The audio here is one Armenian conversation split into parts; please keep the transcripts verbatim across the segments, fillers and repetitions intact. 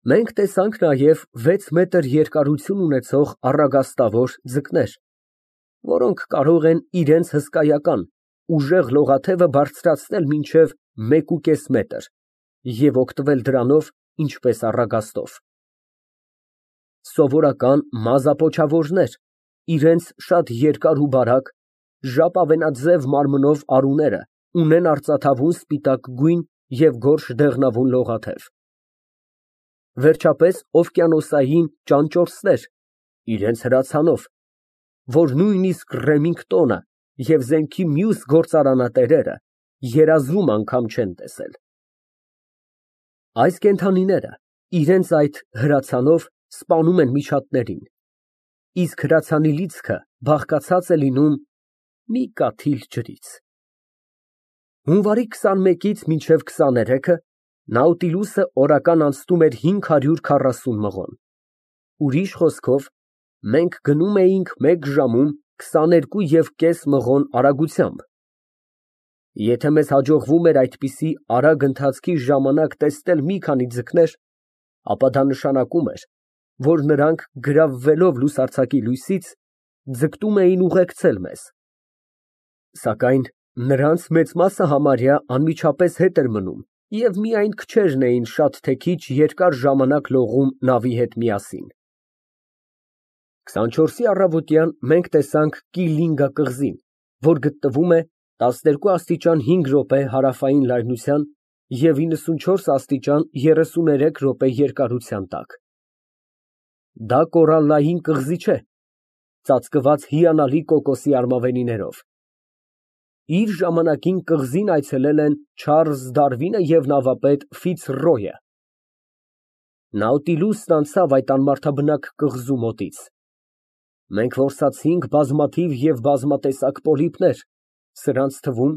Մենք տեսանք նաև վեց մետր երկարություն ունեցող առագաստավոր ձկներ, որոնք կարող են իրենց հսկայական, ուժեղ լողաթևը բարձրացնել մինչև մեկուկես մետր և օգտվել դրանով ինչպես առագաստով։ Սովորական մազապոչավորներ, իրենց շատ երկար ու բարակ, ժապավենաձև մարմնով արուները ունեն արծաթավուն սպիտակ գույն և գորշ դեղնավուն լողաթև։ Վերջապես օվկիանոսային ճանճորսներ, իրենց հրացանով, որ նույնիսկ Ռեմինգտոնը և զենքի մյուս գործարանատերերը երազում անգամ չեն տեսել։ Այս կենդանիները իրենց այդ հրացանով սպանում են միջատներին, իսկ հրացանի լիցքը բաղկացած է լինում մի կաթիլ ջրից։ Հունվարի քսանմեկից մինչև քսաներեքը Նաուտիլուսը օրական անցնում էր հինգ հարյուր քառասուն մղոն, ուրիշ խոսքով, մենք գնում էինք մեկ ժամում քսաներկու և կես մղոն արագությամբ։ Եթե մեզ հաջողվում էր այդպիսի արագ ընթացքի ժամանակ տեսնել մի քանի ձկներ, ապա դա նշանակում էր, որ նրանք, գրավվելով լուսարձակի լույսից, ձգտում էին ուղեկցել մեզ։ Սակայն նրանց մեծ մասը համարյա անմիջապես հետ էր մնում և միայն քչերն էին շատ թե քիչ երկար ժամանակ լողում նավի հետ միասին։ քսանչորսի առավոտյան մենք տեսանք Կիլինգա կղզին, որ գտնվում է տասներկու աստիճան հինգ րոպե հարավային լայնության և իննսունչորս աստիճան երեսուներեք րոպե երկարության տակ։ Դա կորալլային կղզի չէ, ծածկված հիանալի կոկոսի արմավենիներով։ Իր ժամանակին կղզին այցելել են Չարլզ Դարվինը և նավապետ Ֆիցրոյը։ Նաուտիլուսն անցավ այդ անմարդաբնակ կղզու մոտից։ Մենք որսացինք բազմաթիվ և բազմատեսակ պոլիպներ, սրանց թվում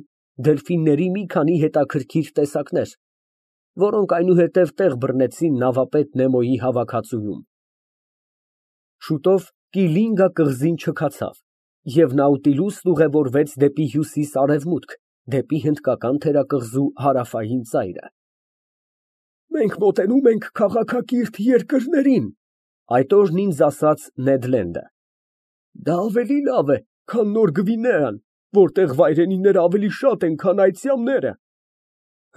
դելֆինների մի քանի հետաքրքիր տեսակներ, որոնք այնուհետև տեղ բռնեցին նավապետ Նեմոյի հավաքածուում։ Շուտով Կիլինգա կղզին չքացավ, և Նաուտիլուսն ուղևորվեց դեպի հյուսիս֊արևմուտք, դեպի հնդկական թերակղզու հարավային ծայրը։ «Մենք մոտենում ենք քաղաքակիրթ երկրներին», այդ օրն ինձ ասաց Նեդ Լենդը։ «Դա ավելի լավ է, քան Նոր Գվինեան, որտեղ վայրենիները ավելի շատ են, քան այծյամները։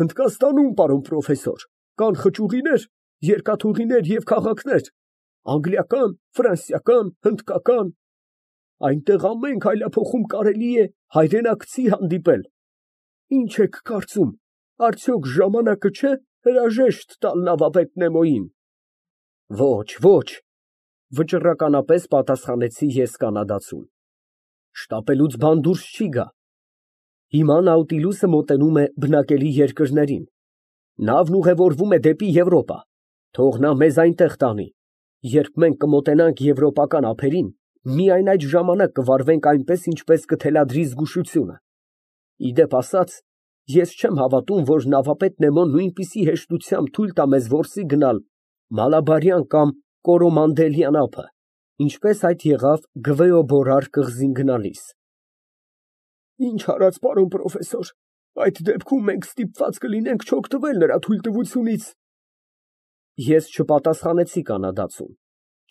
Հնդկաստանում, պարոն պրոֆեսոր, կան խճուղիներ, երկաթուղիներ և քաղաքներ, անգլիական, ֆրանսիական, հնդկական, այնտեղ ամեն քայլափոխում կարելի է հայրենակցի հանդիպել։ Ինչ եք կարծում, արդյոք ժամանակը չէ հրաժեշտ տալ նավապետ Նեմոյին»։ Ոչ, ոչ, վճռականապես պատասխանեցի ես կանադացուն, շտապելուց բան դուրս չի գա։ Հիմա Նաուտիլուսը մոտենում է բնակելի երկրներին, նավն ուղևորվում է դեպի Եվրոպա, թող նա մեզ այնտեղ տանի, երբ մենք կմոտենանք եվրոպական ափերին, միայն այդ ժամանակ կվարվենք այնպես, ինչպես կթելադրի զգուշությունը։ Ի դեպ ասած, ես չեմ հավատում, որ նավապետ Նեմոն նույնպիսի հեշտությամբ թույլ տա մեզ որսի գնալ Մալաբարյան կամ Կորոմանդելյան ափը, ինչպես այդ եղավ Գվեոբորար կղզին գնալիս։ Ինչ արած, պարոն պրոֆեսոր, այդ դեպքում մենք ստիպված կլինենք չօգտվել նրա թույլտվությունից։ Ես չպատասխանեցի կանադացուն,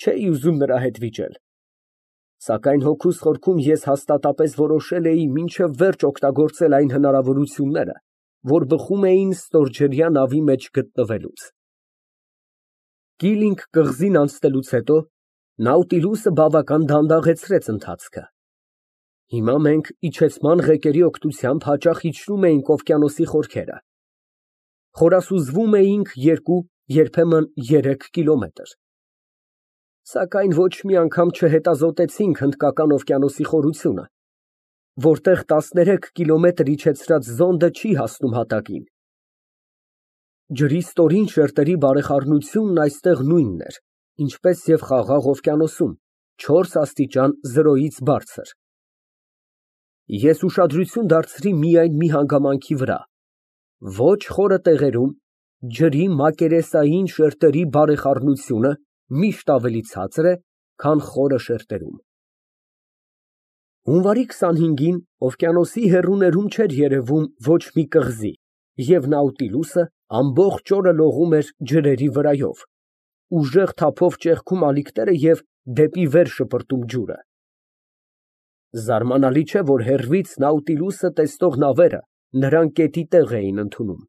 չէի ուզում նրա հետ վիճել։ Սակայն հոգուս խորքում ես հաստատապես որոշել էի մինչև վերջ օգտագործել այն հնարավորությունները, որ բխում էին ստորջրյա նավի մեջ գտնվելուց։ Կիլինգ կղզին անցնելուց հետո Նաուտիլուսը բավական դանդաղեցրեց ընթացքը։ Հիմա մենք իջեցման ղեկերի օգնությամբ հաճախ իջնում էինք օվկիանոսի խորքերը։ Խորասուզվում էինք երկու, երբեմն երեք կիլոմետր։ Սակայն ոչ մի անգամ չհետազոտեցինք Հնդկական օվկիանոսի խորությունը, որտեղ տասներեք կիլոմետր իջեցրած զոնդը չի հասնում հատակին։ Ջրի ստորին շերտերի բարեխառնությունն այստեղ նույնն էր, ինչպես և Խաղաղ օվկիանոսում, չորս աստիճան զրոյից բարձր։ Ես ուշադրություն դարձրի միայն մի հանգամանքի վրա. ոչ խորը տեղերում ջրի մակերեսային շերտերի բարեխառնությունը միշտ ավելի ցածր է, քան խորը շերտերում։ Հունվարի քսանհինգին օվկիանոսի հեռուներում չէր երևում ոչ մի կղզի, և Նաուտիլուսը ամբողջ օրը լողում էր ջրերի վրայով, ուժեղ թափով ճեղքում ալիքները և դեպի վեր շպրտում ջուրը։ Զարմանալի չէ, որ հեռվից Նաուտիլուսը տեսնող նավերը նրան կետի տեղ էին ընդունում։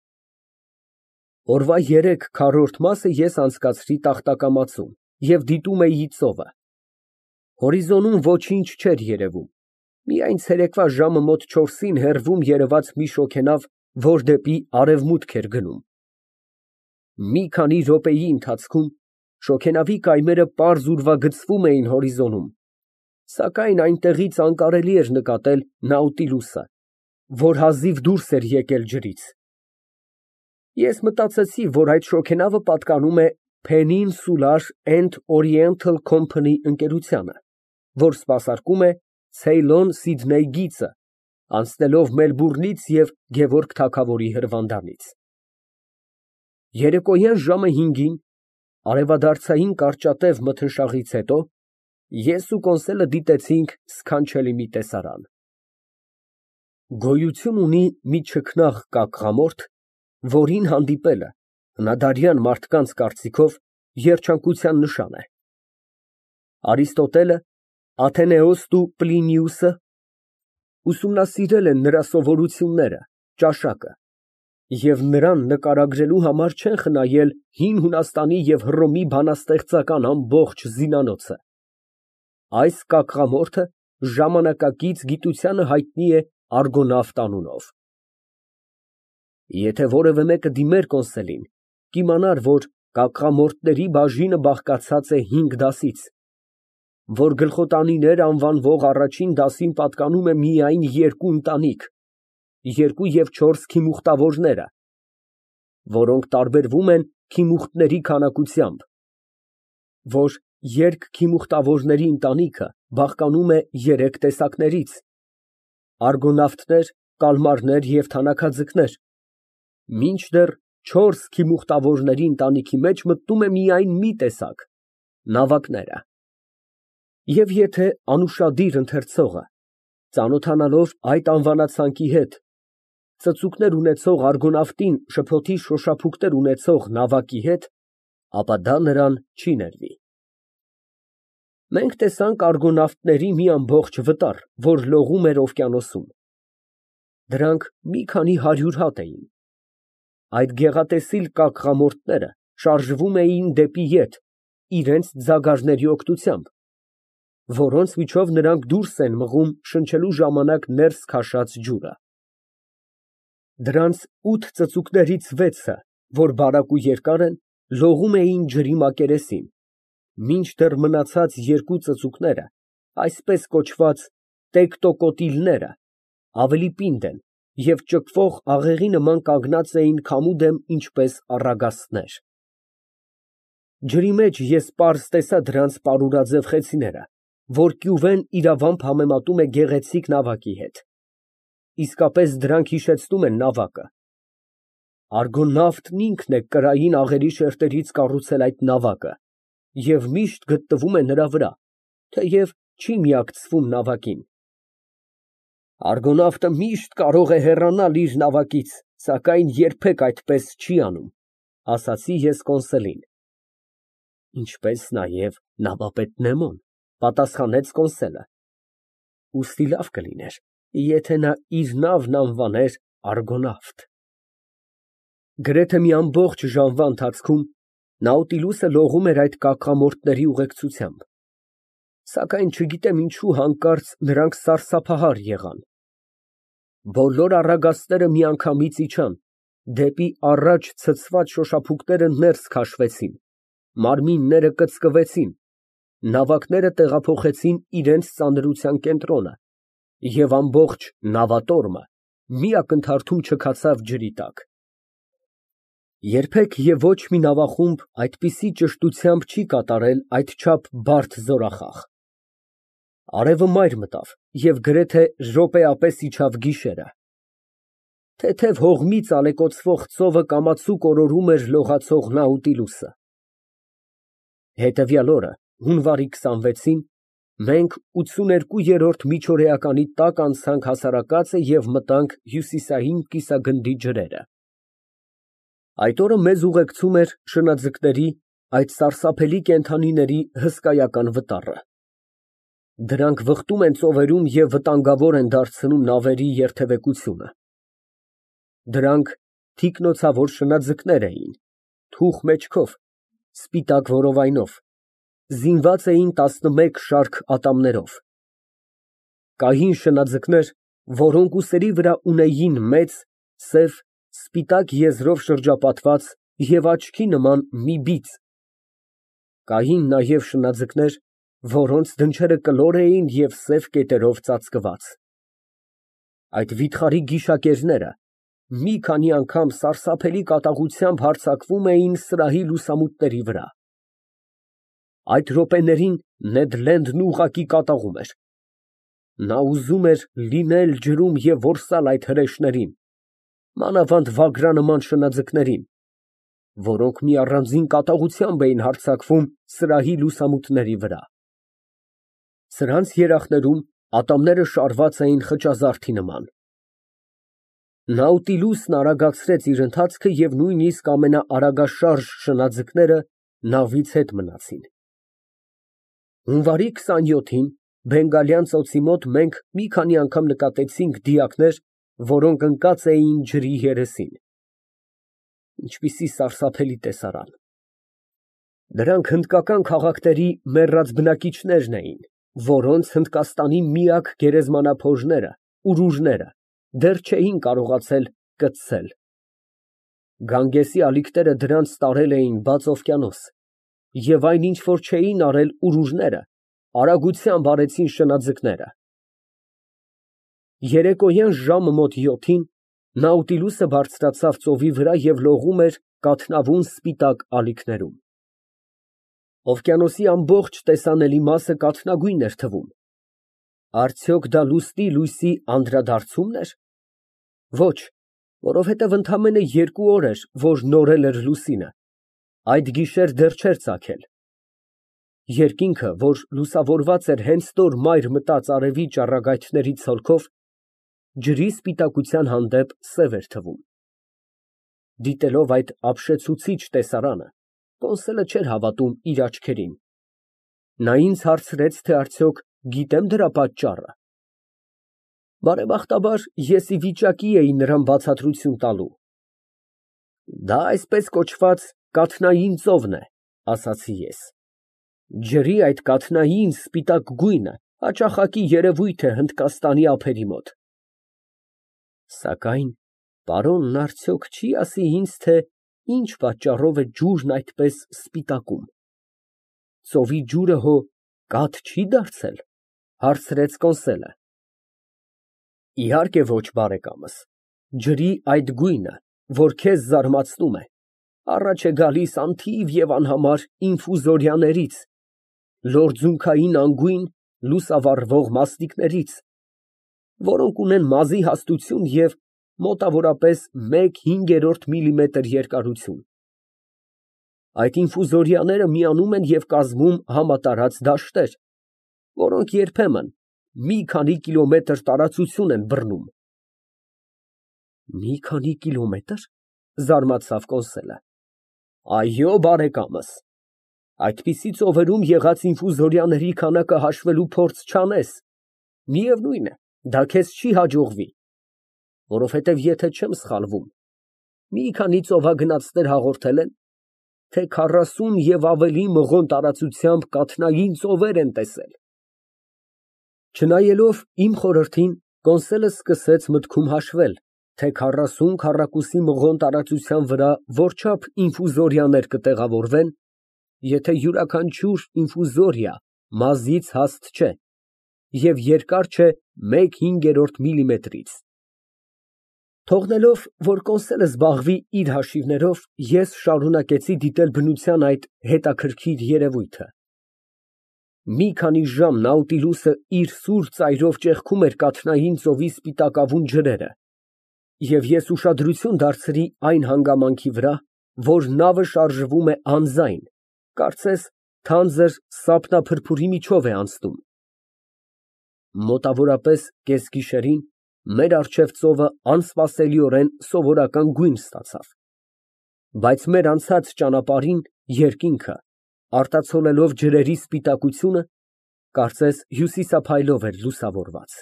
Օրվա երեք քառորդ մասը ես անցկացրի տախտակամածում և դիտում էի ծովը։ Հորիզոնում ոչինչ չէր երևում, միայն ցերեկվա ժամը մոտ չորսին հեռվում երևաց մի շոգենավ, որ դեպի արևմուտք էր գնում։ Մի քանի րոպեի ընթացքում շոգենավի կայմերը պարզ ուրվագծվում էին հորիզոնում, սակայն այնտեղից անկարելի էր նկատել Նաուտիլուսը, որ հազիվ դուրս էր եկել ջրից։ Ես մտածեցի, որ այդ շոգենավը պատկանում է Peninsular and Oriental Company ընկերությանը, որ սպասարկում է Ցեյլոն-Սիդնեյ գիծը, անցնելով Մելբուրնից և Գևորգ թագավորի հրվանդանից։ Երեկոյան ժամը հինգին, արևադարձային կարճատև մթնշաղից հետո, ես ու Կոնսելը դիտեցինք սքանչելի մի տեսարան։ Գոյություն ունի մի չքնաղ կակղամորթ, որին հանդիպելը հնադարյան մարդկանց կարծիքով երջանկության նշան է։ Արիստոտելը, Աթենեոսն ու Պլինիուսը ուսումնասիրել են նրա սովորությունները, ճաշակը, և նրան նկարագրելու համար չեն խնայել հին Հունաստանի և Հռոմի բանաստեղծական ամբողջ զինանոցը։ Այս կակղամորթը ժամանակակից գիտությանը հայտնի է Արգոնավտ անունով։ Եթե որևէ մեկը դիմեր Կոնսելին, կիմանար, որ կակղամորթների բաժինը բաղկացած է հինգ դասից, որ գլխոտանիներ անվանվող առաջին դասին պատկանում է միայն երկու ընտանիք, երկու և չորս քիմուխտավորները, որոնք տարբերվում են քիմուխտների քանակությամբ, որ երկքիմուխտավորների ընտանիքը բաղկանում է երեք տեսակներից՝ արգոնավտներ, կալմարներ և թանաքաձկներ, մինչդեռ չորս քիմուխտավորների ընտանիքի մեջ մտնում է միայն մի տեսակ՝ նավակները։ Եվ եթե անուշադիր ընթերցողը, ծանոթանալով այդ անվանացանքի հետ, ծծուկներ ունեցող արգոնավտին շփոթի շոշափուկներ ունեցող նավակի հետ, ապա դա նրան չի ներվի։ Մենք տեսանք արգոնավտների մի ամբողջ վտար, որ լողում էր օվկիանոսում։ Դրանք մի քանի հարյուր հատ էին։ Այդ գեղատեսիլ կակղամորթները շարժվում էին դեպի ետ իրենց ձագարների օգնությամբ, որոնց միջով նրանք դուրս են մղում շնչելու ժամանակ ներս քաշած ջուրը։ Դրանց ութ ծծուկներից վեցը, որ բարակ ու երկար են, լողում էին ջրի մակերեսին, մինչդեռ մնացած երկու ծծուկները, այսպես կոչված տեկտոկոտիլները, ավելի պինդ են և ճկվող աղեղի նման կանգնած էին քամու դեմ ինչպես առագաստներ։ Ջրի մեջ ես պարզ տեսա դրանց պարուրաձև խեցիները, որ կյուվեն իրավամբ համեմատում է գեղեցիկ նավակի հետ։ Իսկապես դրանք հիշեցնում են նավակը։ Արգոնավտն ինքն է կրային աղերի շերտերից կառուցել այդ նավակը և միշտ գտնվում է նրա վրա, թեև չի միակցվում նավակին։ Արգոնավտը միշտ կարող է հեռանալ իր նավակից, սակայն երբեք այդպես չի անում, ասացի ես Կոնսելին։ Ինչպես նաև նավապետ Նեմոն, պատասխանեց Կոնսելը։ Ուստի լավ կլիներ, եթե նա իր նավն անվաներ Արգոնավտ։ Գրեթե մի ամբողջ ժամվա ընթացքում Նաուտիլուսը լողում էր այդ կակղամորթների ուղեկցությամբ, սակայն չգիտեմ ինչու հանկարծ նրանք սարսափահար եղան։ Բոլոր առագաստները միանգամից իջան, դեպի առաջ ցցված շոշափուկները ներս քաշվեցին, մարմինները կծկվեցին, նավակները տեղափոխեցին իրենց ծանրության կենտրոնը, և ամբողջ նավատորմը մի ակնթարթում չքացավ ջրի տակ։ Երբեք և ոչ մի նավախումբ այդպիսի ճշտությամբ չի կատարել այդչափ բարդ զորախախ։ Արևը մայր մտավ և գրեթե րոպեապես իջավ գիշերը։ Թեթև հողմից ալեկոծվող ծովը կամացուկ օրորում էր լողացող Նաուտիլուսը։ Հետևյալ օրը, հունվարի քսանվեցին, մենք ութսուներկուերորդ միջօրեականի տակ անցանք հասարակածը և մտանք հյուսիսային կիսագնդի ջրերը։ Այդ օրը մեզ ուղեկցում էր շնաձկների, այդ սարսափելի կենդանիների հսկայական վտառը։ Դրանք վխտում են ծովերում և վտանգավոր են դարձնում նավերի երթևեկությունը։ Դրանք թիկնոցավոր շնաձկներ էին, թուխ մեջքով, սպիտակ որովայնով, զինված էին տասնմեկ շարք ատամներով։ Կային շնաձկներ, որոնք ուսերի վրա ունեին մեծ, սև, սպիտակ եզրով շրջապատված և աչքի նման մի բիծ։ Կային նաև շնաձկներ, որոնց դնչերը կլոր էին և սև կետերով ծածկված։ Այդ վիթխարի գիշակերները մի քանի անգամ սարսափելի կատաղությամբ հարձակվում էին սրահի լուսամուտների վրա։ Այդ րոպեներին Նեդ Լենդն ուղղակի կատաղում էր։ Նա ուզում էր լինել ջրում և որսալ այդ հրեշներին, մանավանդ վագրանման շնաձկներին, որոնք մի առանձին կատաղությամբ էին հարձակվում սրահի լուսամուտների վրա։ Սրանց երախներում ատամները շարված էին խճազարդի նման։ Նաուտիլուսն արագացրեց իր ընթացքը և նույնիսկ ամենաարագաշարժ շնաձկները նավից հետ մնացին։ Հունվարի քսանյոթին Բենգալյան ծոցի մոտ մենք մի քանի անգամ նկատեցինք դիակներ, որոնք ընկած էին ջրի երեսին։ Ինչպիսի սարսափելի տեսարան։ Դրանք հնդկական քաղաքների մեռած բնակիչներն էին, որոնց Հնդկաստանի միակ գերեզմանափորները, ուրուժները դեռ չէին կարողացել կծել։ Գանգեսի ալիքները դրանց տարել էին բաց օվկիանոս, և այն, ինչ որ չէին արել ուրուժները, արագությամբ արեցին շնաձկները։ Երեկոյան ժամը մոտ յոթին Նաուտիլուսը բարձրացավ ծովի վրա և լողում էր կաթնավուն սպիտակ ալիքներում։ Օվկիանոսի ամբողջ տեսանելի մասը կաթնագույն էր թվում։ Արդյոք դա լուսնի լույսի անդրադարձո՞ւմն էր։ Ոչ, որովհետև ընդամենը երկու օր էր, որ նորել էր լուսինը, այդ գիշեր դեռ չէր ծագել։ Երկինքը, որ լուսավորված էր հենց նոր մայր մտած արևի ճառագայթների ցոլքով, ջրի սպիտակության հանդեպ սև էր թվում։ Դիտելով այդ ապշեցուցիչ տեսարանը, Կոնսելը չէր հավատում իր աչքերին։ Նա ինձ հարցրեց, թե արդյոք գիտեմ դրա պատճառը։ Բարեբախտաբար, ես ի վիճակի էի նրան բացատրություն տալու։ Դա այսպես կոչված կաթնային ծովն է, ասացի ես։ Ջրի այդ կաթնային սպիտակ գույնը հաճախակի երևույթ է Հնդկաստանի ափերի մոտ։ Սակայն պարոնն արդյոք չի ասի ինձ, թե ինչ պատճառով է ջուրն այդպես սպիտակում։ Ծովի ջուրը հո կաթ չի դարձել, հարցրեց Կոնսելը։ Իհարկե ոչ, բարեկամս, ջրի այդ գույնը, որ քեզ զարմացնում է, առաջ է գալիս անթիվ և անհամար ինֆուզորիաներից, լորձունքային անգույն, լուսավառվող մասնիկներից, որոնք ունեն մազի հաստություն և մոտավորապես մեկ հինգերորդ միլիմետր երկարություն։ Այդ ինֆուզորիաները միանում են և կազմում համատարած դաշտեր, որոնք երբեմն մի քանի կիլոմետր տարածություն են բռնում։ Մի քանի կիլոմետր, զարմացավ Կոնսելը։ Այո, բարեկամս, այդպիսի ծովերում եղած ինֆուզորիաների քանակը հաշվելու փորձ չանես, միևնույն է, դա քեզ չի հաջողվի, որովհետև եթե չեմ սխալվում, մի քանի ծովագնացներ հաղորդել են, թե քառասուն և ավելի մղոն տարածությամբ կաթնային ծովեր են տեսել։ Չնայելով իմ խորհրդին, Կոնսելը սկսեց մտքում հաշվել, թե քառասուն քառակուսի մղոն տարածության վրա որչափ ինֆուզորիաներ կտեղավորվեն, եթե յուրաքանչյուր ինֆուզորիա մազից հաստ չէ և երկար չէ մեկ հինգերորդ միլիմետրից։ Թողնելով, որ Կոնսելը զբաղվի իր հաշիվներով, ես շարունակեցի դիտել բնության այդ հետաքրքիր երևույթը։ Մի քանի ժամ Նաուտիլուսը իր սուր ծայրով ճեղքում էր կաթնային ծովի սպիտակավուն ջրերը, և ես ուշադրություն դարձրի այն հանգամանքի վրա, որ նավը շարժվում է անձայն, կարծես թանձր սապնափրփուրի միջով է անցնում։ Մոտավորապես կեսգիշերին մեր առջև ծովը անսպասելիորեն սովորական գույն ստացավ, բայց մեր անցած ճանապարհին երկինքը Արտացոլելով ջրերի սպիտակությունը, կարծես հյուսիսափայլով էր լուսավորված։